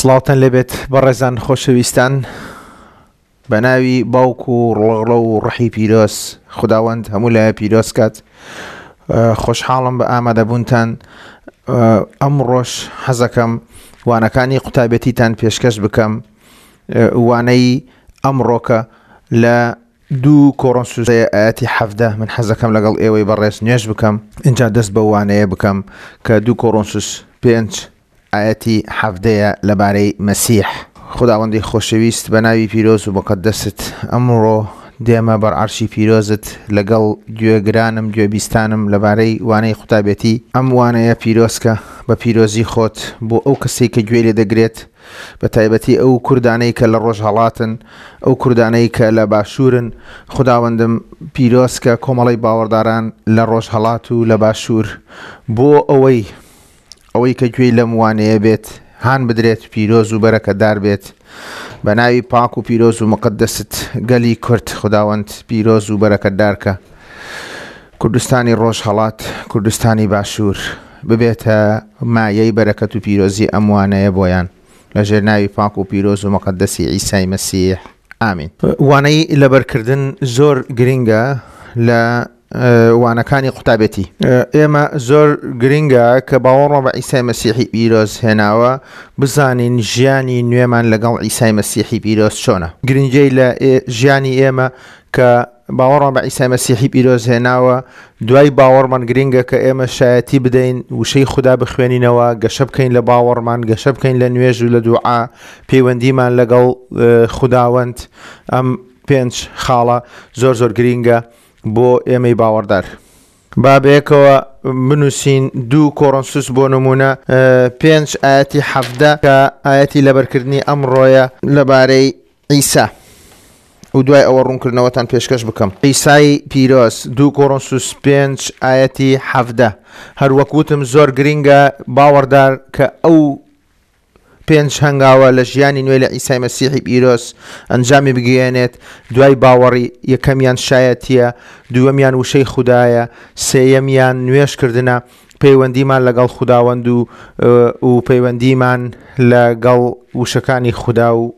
سڵاوتان لێبێت بەڕێزان خۆشەویستان بە ناوی باوک و ڕۆڵە و ڕحی پیرۆز خوداوەند هەموو لایە پیرۆز کات خۆشحاڵم بە ئامادەبوونتان ئەمڕۆش حەزەکەم وانەکانی قوتابێتیتان پێشکەش بکەم وانەی ئەمڕۆکە لە دوو کۆڕۆنسوس ئایەتی 17 من حەزەکەم لەگەڵ ئێوەی بەڕێز نوێژ بکەم اینجا دەست بە وانەیە بکەم کە دوو کۆڕۆنسوس پێنج ئایەتی حەڤدەیە لەبارەی مەسیح. خوداوەندی خۆشەویست بە ناوی پیرۆز و موقەدەست ئەمڕۆ دێمە بەر عەرشی پیرۆزت لەگەڵ گوێگرانم گوێبیستانم لەبارەی وانەی قوتابێتی ئەم وانەیە پیرۆزکە بە پیرۆزی خۆت بۆ ئەو کەسەی کە گوێی لێ دەگرێت بە تایبەتی ئەو کوردانەی کە لە ڕۆژهەڵاتن ئەو کوردانەی کە لە باشوورن خوداوەندم پیرۆزکە کۆمەڵەی باوەڕداران لە ڕۆژهەڵات و لە باشوور بۆ ئەوەی ئەوەی کە گوێی لەم وانەیە بێت هان بدرێت پیرۆز و بەرەکەتدار بێت بە ناوی پاک و پیرۆز و مقدست گەلی کورد خداوەند پیرۆز و بەرەکەتدار کە کوردستانی ڕۆژهەڵات کوردستانی باشوور ببێتە مایەی بەرەکەت و پیرۆزی ئەم وانەیە بۆیان لە ژێر ناوی پاک و پیرۆز و مقدسی عیسای مەسیح ئامین. وانەی لەبەرکردن زۆر گرینگە لە وانەکانی قوتابێتی. ئێمە زۆر گرینگە کە باوەڕمان بە عیسای مەسیحی پیرۆز هێناوە بزانین ژیانی نوێمان لەگەڵ عیسای مەسیحی پیرۆز چۆنە. گرنگیی لە ژیانی ئێمە کە باوەڕمان بە عیسای مەسیحی پیرۆز هێناوە دوای باوەڕمان گرینگە کە ئێمە شایەتی بدەین وشەی خودا بخوێنینەوە گەشە بکەین لە باوەڕمان گەشە بکەین لە نوێژ و لە دوعا پەیوەندیمان لەگەڵ خوداوەند ئەم پێنج خاڵە زۆر زۆر گرینگە بۆ ئێمەی باوەڕدار. با بەیەکەوە بنووسین دوو کۆڕۆنسوس بۆ نموونە پێنج ئایەتی 17 کە ئایەتی لەبەرکردنی ئەمڕۆیە لەبارەی عیسا و دوای ئەوە ڕوونکردنەوەتان پێشکەش بکەم. عیسای پیرۆز دوو کۆڕۆنسوس پێنج ئایەتی 17 هەروەک وتم زۆر گرینگە باوەڕدار کە ئەو پێنج هەنگاوە لە ژیانی نوێ لە عیسای مەسیحی پیرۆز ئەنجامی بگەیەنێت، دوای باوەڕی، یەکەمیان شایەتییە، دووەمیان وشەی خودایە، سێیەمیان نوێژکردنە، پەیوەندیمان لەگەڵ خوداوەند و و پەیوەندیمان لەگەڵ وشەکانی خودا و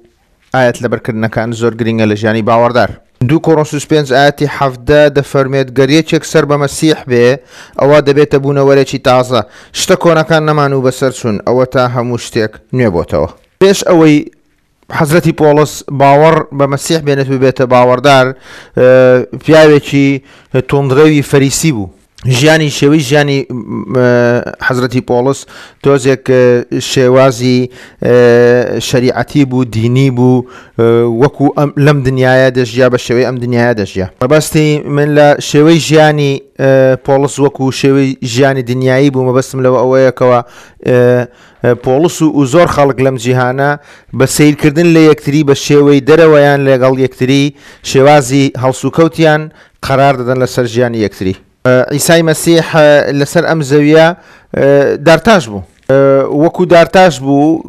ئایەت لەبەرکردنەکان زۆر گرینگە لە ژیانی باوەڕدار. دوو کۆرۆنسوس پێنج ئایەتی 17 دەفەرموێت گەر یەکێک سەر بە مەسیح بێ ئەوا دەبێتە بوونەوەرێکی تازە، شتە کۆنەکان نەمان و بەسەر چوون، ئەوەتا هەموو شتێک نوێ بۆتەوە. پێش ئەوەی حەزرەتی پۆڵس باوەڕ بە مەسیح بێنێت و ببێتە باوەڕدار، پیاوێکی توندڕەوی فەریسی بوو. ژیانی شێوەی ژیانی حەزرەتی پۆڵس تۆزێک شێوازی شەریعەتی بوو دینی بوو وەکو ئەم لەم دنیاە دەژیا بە شێوەی ئەم دنیاە دەژیا مەبەستی من لە شێوەی ژیانی پۆڵس وەکو شێوەی ژیانی دنیایی بوو مەبەستم لەوە ئەوەیەکەوە پۆڵس و و زۆر خەڵک لەم جیهانە بە سیرکردن لە یەکتری بە شێوەی دەرەوەیان لەگەڵ یەکتری شێوازی هەڵسوکەوتیان قەرار دەدەن لەسەر ژیانی یەکتری. عیسای مەسیح لەسەر ئەم زەویە دارتاش بوو. وەکو دارتاش بوو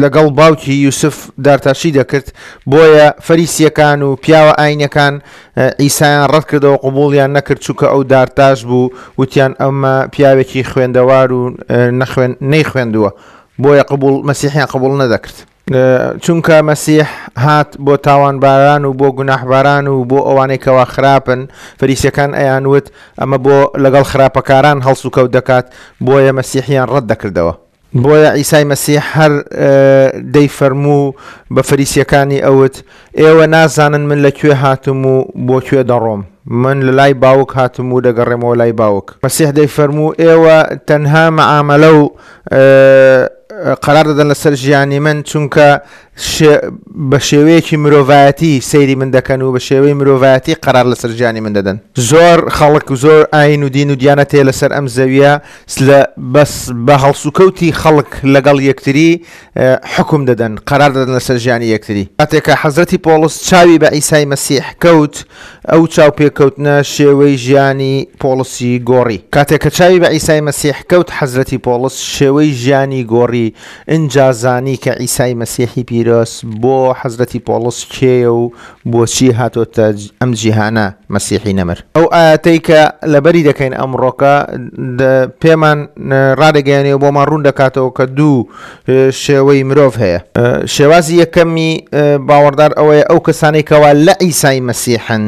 لەگەڵ باوکی یوسف دارتاشی دەکرد، بۆیە فەریسیەکان و پیاوە ئاینەکان عیسایان ڕەت کردەوە قبوڵیان نەکرد چونکە ئەو دارتاش بوو وتیان ئەمە پیاوێکی خوێندەوار و نەخوێن نەیخوێندووە بۆیە قبوڵ مەسیحیان قبوڵ نەدەکرد. چونکە مەسیح هات بۆ تاوانباران و بۆ گوناحباران و بۆ ئەوانەی کەوا خراپن، فەریسیەکان ئەیانوت ئەمە بۆ لەگەڵ خراپەکاران هەڵسوکەوت دەکات، بۆیە مەسیحیان ڕەت دەکردەوە. بۆیە عیسای مەسیح هەر دەیفەرموو بە فەریسیەکانی ئەوت، ئێوە نازانن من لە کوێ هاتم و بۆ کوێ دەڕۆم، من لە لای باوک هاتم و دەگەڕێمەوە لای باوک. مەسیح دەیفەرموو، ئێوە تەنها مەعامەلە و قەرار دەدەن لەسەر ژیانی من، چونکە بە شێوەیەکی مرۆڤایەتی سەیری من دەکەن و بە شێوەی مرۆڤایەتی قەرار لەسەر ژیانی من دەدەن. زۆر خەڵک و زۆر ئایین و دین و دیانەت هەیە لەسەر ئەم زەویە بەس بە هەڵسوکەوتی خەڵک لەگەڵ یەکتری حوکم دەدەن، قەرار دەدەن لەسەر ژیانی یەکتری. کاتێک کە حەزرەتی پۆڵس چاوی بە عیسای مەسیح کەوت، ئەو چاوپێکەوتنە شێوەی ژیانی پۆڵسی گۆڕی. کاتێک کە چاوی بە عیسای مەسیح کەوت، حەزرەتی پۆڵس شێوەی ژیانی گۆڕی. ئینجا زانی کە عیسای مەسیحی پیرۆز بۆ حەزرەتی پۆڵس کێیە و بۆچی هاتۆتە ئەم جیهانە مەسیحی نەمر. ئەو ئایەتەی کە لەبەری دەکەین ئەمڕۆکە پێمان ڕادەگەیەنێ و بۆمان ڕوون دەکاتەوە کە دوو شێوەی مرۆڤ هەیە. شێوازی یەکەمی باوەڕدار ئەوەیە ئەو کەسانەی کەوا لە عیسای مەسیحن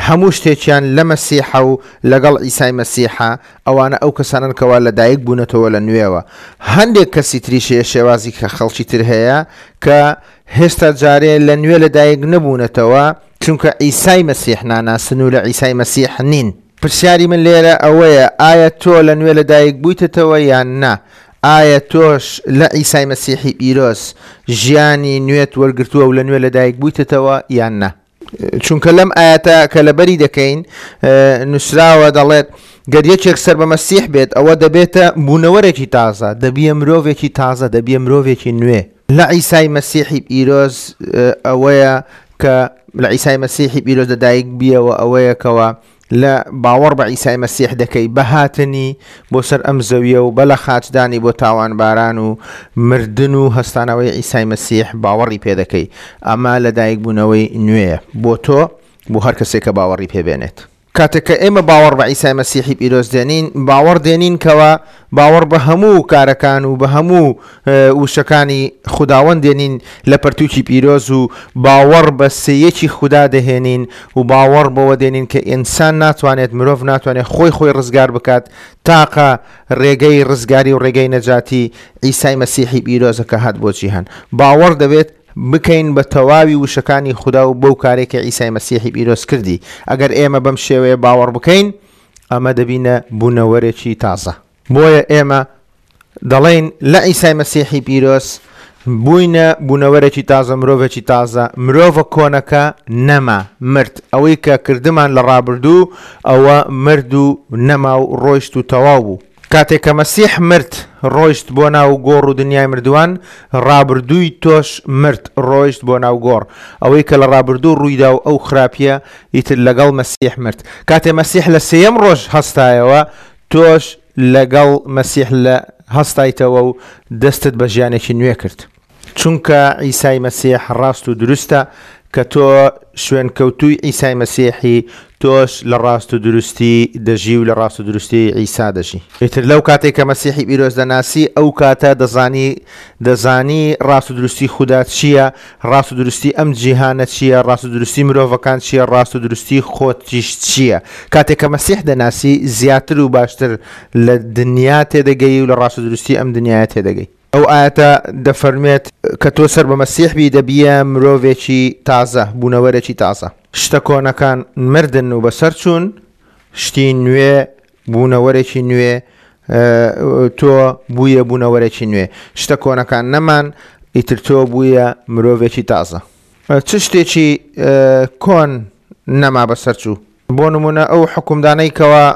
هەموو شتێکیان لە مەسیحە و لەگەڵ عیسای مەسیحە، ئەوانە ئەو کەسانەن کەوا لە دایک بوونەتەوە لە نوێوە. هەندێک کەسی تریش هەیە شێوازی خەڵکی تر هەیە کە هێشتا جارێ لە نوێ لە دایک نەبوونەتەوە چونکە عیسای مەسیح ناناسن و لە عیسای مەسیح نین. پرسیاری من لێرە ئەوەیە ئایا تۆ لە نوێ لە دایک بوویتەتەوە یان نا؟ ئایا تۆش لە عیسای مەسیحی پیرۆز ژیانی نوێت وەرگرتووە و لە نوێ لە دایک بوویتەتەوە یان نا؟ چونکە لەم ئایەتە کە لەبەری دەکەین نووسراوە دەڵێت گەر یەکێک سەر بە مەسیح بێت ئەوە دەبێتە بوونەوەرێکی تازە دەبیە مرۆڤێکی تازە دەبیە مرۆڤێکی نوێ لە عیسای مەسیحی پیرۆز ئەوەیە کە لە عیسای مەسیحی پیرۆز لەدایک بیەوە ئەوەیە کەەوە لە باوەڕ بە عیسای مەسیح دەکەی بە هاتنی بۆ سەر ئەم زەویە و بە لە خاچدانی بۆ تاوانباران و مردن و هەستانەوەی عیسای مەسیح باوەڕی پێ دەکەی ئەمە لەدایکبوونەوەی نوێیە بۆ تۆ بۆ هەر کەسێک کە باوەڕی پێ بێنێت. کاتێک کە ئێمە باوەڕ بە عیسای مەسیحی پیرۆز دێنین، باوەڕ دێنین کەوا باوەڕ بە هەموو کارەکان و بە هەموو وشەکانی خوداوەند دێنین لە پەرتووکی پیرۆز و باوەڕ بە سێیەکی خودا دەهێنین و باوەڕ بەوە دێنین کە ئینسان ناتوانێت، مرۆڤ ناتوانێت خۆی خۆی ڕزگار بکات، تاقە ڕێگەی ڕزگاری و ڕێگەی نەجاتی عیسای مەسیحی پیرۆزە کە هات بۆ جیهان. باوەڕ دەبێت بکەین بە تەواوی وشەکانی خودا و بەو کارەی کە عیسای مەسیحی پیرۆز کردی. ئەگەر ئێمە بەم شێوەیە باوەڕ بکەین، ئەمە دەبینە بوونەوەرێکی تازە. بۆیە ئێمە دەڵێین لە عیسای مەسیحی پیرۆز بووینە بوونەوەرێکی تازە، مرۆڤێکی تازە، مرۆڤە کۆنەکە نەما، مرد. ئەوەی کە کردمان لە ڕابردوو، ئەوە مرد و نەما و ڕۆیشت و تەواو بوو. کاتێک کە مەسیح مرد، ڕۆیشت بۆ ناو گۆڕ و دنیای مردووان، ڕابردووی تۆش مرد، ڕۆیشت بۆ ناو گۆڕ. ئەوەی کە لە ڕابردوو ڕوویدا و ئەو خراپییە، ئیتر لەگەڵ مەسیح مرد. کاتێ مەسیح لە سێیەم ڕۆژ هەستایەوە، تۆش لەگەڵ مەسیح لە هەستایتەوە و دەستت بە ژیانێکی نوێ کرد. چونکە عیسای مەسیح ڕاست و دروستە، کە تۆ شوێنکەوتووی عیسای مەسیحی، تۆش لە ڕاست و دروستی دەژی و لە ڕاست و دروستی عیسا دەژی. ئیتر لەو کاتەی کە مەسیحی پیرۆز دەناسی، ئەو کاتە دەزانی دەزانی ڕاست و دروستی خودا چییە، ڕاست و دروستی ئەم جیهانە چییە، ڕاست و دروستی مرۆڤەکان چییە، ڕاست و دروستی خۆتیش چییە. کاتێک کە مەسیح دەناسی، زیاتر و باشتر لە دنیا تێدەگەی و لە ڕاست و دروستی ئەم دنیایە تێدەگەی. ئەو ئایەتە دەفەرموێت، کە تۆ سەر بە مەسیح بی دەبیە مرۆڤێکی تازە، بوونەوەرێکی تازە. شتە کۆنەکان مردن و بەسەر چوون، شتی نوێ، بوونەوەرێکی نوێ، تۆ بوویە بوونەوەرێکی نوێ. شتە کۆنەکان نەمان، ئیتر تۆ بوویە مرۆڤێکی تازە. چ شتێکی کۆن نەما بەسەر چوو؟ بۆ نموونە ئەو حوکمدانەی کەوا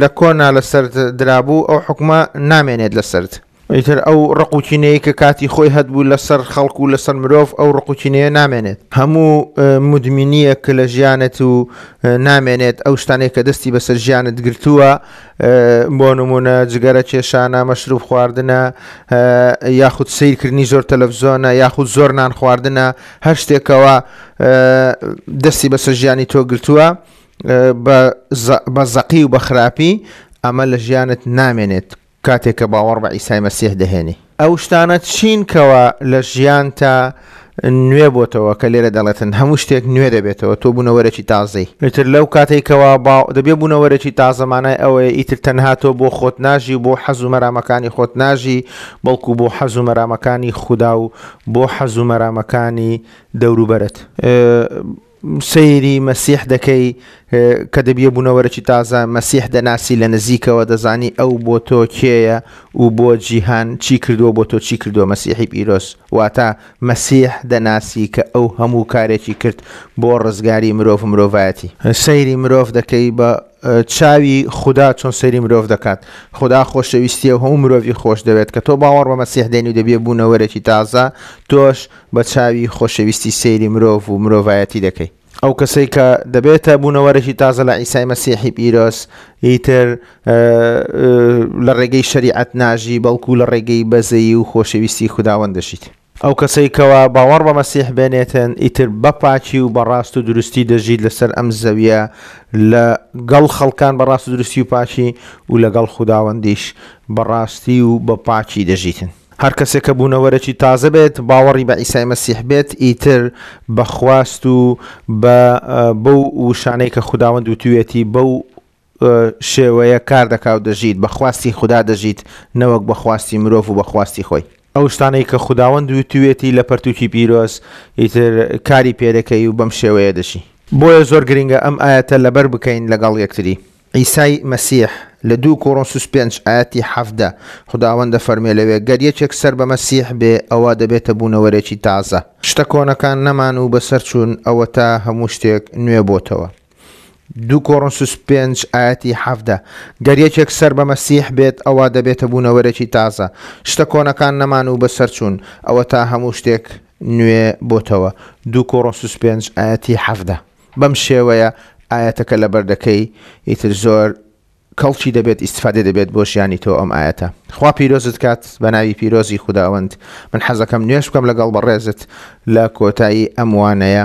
لە کۆنا لەسەرت درابوو، ئەو حوکمە نامێنێت لەسەرت. ئیتر ئەو ڕق و کینەیەی کە کاتی خۆی هەتبوو لەسەر خەڵک و لەسەر مرۆڤ، ئەو ڕق و کینەیە نامێنێت. هەموو مودمینییەک لە ژیانت و نامێنێت، ئەو شتانەی کە دەستی بەسەر ژیانت گرتووە، بۆ نموونە جگەرە کێشانە، مەشروب خواردنە، یاخود سەیرکردنی زۆر تەلەفزیۆنە، یاخود زۆر نان خواردنە، هەر شتێکەوە دەستی بەسەر ژیانی تۆ گرتووە بە زەقی و بە خراپی، ئەمە لە ژیانت نامێنێت. کاتێک کە باوەڕ بە عیسای مەسیح دەهێنی. ئەو شتانە چین کەوا لە ژیانتا نوێ بۆتەوە کە لێرە دەڵێتن هەموو شتێک نوێ دەبێتەوە تۆ بوونەوەرێکی تازەی. ئیتر لەو کاتەی کەوا با دەبێ بوونەوەرێکی تازە مانای ئەوەیە ئیتر تەنها تۆ بۆ خۆت ناژی و بۆ حەز و مەرامەکانی خۆت ناژی بەڵکو بۆ حەز و مەرامەکانی خودا و بۆ حەز و مەرامەکانی دەوروبەرت. سەیری مەسیح دەکەی کە دەبیە بوونەوەرێکی تازە، مەسیح دەناسی لە نزیکەوە دەزانی ئەو بۆ تۆ کێیە و بۆ جیهان چی کردووە بۆ تۆ چی کردووە مەسیحی پیرۆز واتە مەسیح دەناسی کە ئەو هەموو کارێکی کرد بۆ ڕزگاری مرۆڤ و مرۆڤایەتی. سەیری مرۆڤ دەکەی بە چاوی خودا چۆن سەیری مرۆڤ دەکات خودا خۆشەویستیە و هەموو مرۆڤی خۆش دەوێت کە تۆ باوەڕ بە مەسیح دێنی و دەبیە بوونەوەرێکی تازە تۆش بە چاوی خۆشەویستی سەیری مرۆڤ و مرۆڤایەتی دەکەی. ئەو کەسەی کە دەبێتە بوونەوەرێکی تازە لە عیسای مەسیحی پیرۆز ئیتر لە ڕێگەی شەریعەت ناژی بەڵکو لە ڕێگەی بەزەیی و خۆشەویستی خوداوەند دەژیت. ئەو کەسەی کەوا باوەڕ بە مەسیح بێنێتن ئیتر بە پاکی و بە ڕاست و دروستی دەژیت لەسەر ئەم زەویە لە گەڵ خەڵکان بە ڕاست و دروستی و پاکی و لەگەڵ خوداوەندیش بە ڕاستی و بە پاکی دەژیتن. هەر کەسێک کە بوونەوەرێکی تازە بێت، باوەڕی بە عیسای مەسیح بێت، ئیتر بە خواست و بە بەو وشانەی کە خوداوەند وتوویەتی بەو شێوەیە کار دەکا و دەژیت، بە خواستی خودا دەژیت نەوەک بە خواستی مرۆڤ و بە خواستی خۆی. ئەو شتانەی کە خوداوەند وتوویەتی لە پەرتووکی پیرۆز، ئیتر کاری پێدەکەی و بەم شێوەیە دەژی. بۆیە زۆر گرنگە ئەم ئایەتە لەبەر بکەین لەگەڵ یەکتری. عیسای مەسیح لە دوو کۆرۆنسوس پێنج ئایەتی 17 خوداوەند دەفەرموێ لەوێ، گەر یەکێک سەر بە مەسیح بێ، ئەوا دەبێتە بوونەوەرێکی تازە. شتە کۆنەکان نەمان و بەسەر چوون، ئەوەتا هەموو شتێک نوێ بۆتەوە. دوو کۆرۆنسوس پێنج ئایەتی 17 گەر یەکێک سەر بە مەسیح بێت، ئەوا دەبێتە بوونەوەرێکی تازە. شتە کۆنەکان نەمان و بەسەر چوون، ئەوەتا هەموو شتێک نوێ بۆتەوە. دوو کۆرۆنسوس پێنج ئایەتی 17. بەم شێوەیە ئایەتەکە لەبەر دەکەی ئیتر زۆر کەڵکی دەبێت ئیستفادەی دەبێت بۆ ژیانی تۆ ئەم ئایەتە خوا پیرۆزت کات بە ناوی پیرۆزی خوداوەند من حەزەکەم نوێژ بکەم لەگەڵ بەڕێزت لە کۆتایی ئەم وانەیە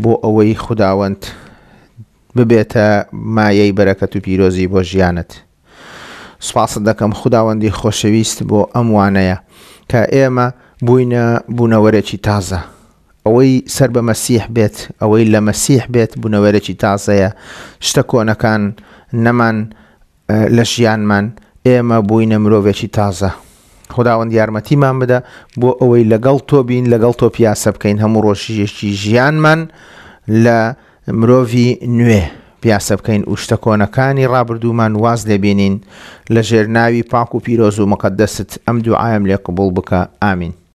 بۆ ئەوەی خوداوەند ببێتە مایەی بەرەکەت و پیرۆزی بۆ ژیانت سوپاست دەکەم خوداوەندی خۆشەویست بۆ ئەم وانەیە کە ئێمە بووینە بوونەوەرێکی تازە ئەوەی سەر بە مەسیح بێت، ئەوەی لە مەسیح بێت بوونەوەرێکی تازەیە، شتە کۆنەکان نەمان لە ژیانمان، ئێمە بووینە مرۆڤێکی تازە. خوداوەند یارمەتیمان بدە بۆ ئەوەی لەگەڵ تۆ بین، لەگەڵ تۆ پیاسە بکەین هەموو ڕۆژێکی ژیانمان لە مرۆڤی نوێ پیاسە بکەین و شتە کۆنەکانی ڕابردوومان واز لێ بێنین، لە ژێر ناوی پاک و پیرۆز و مقەدەست ئەم دوعایەم لێ قبوڵ بکە. ئامین.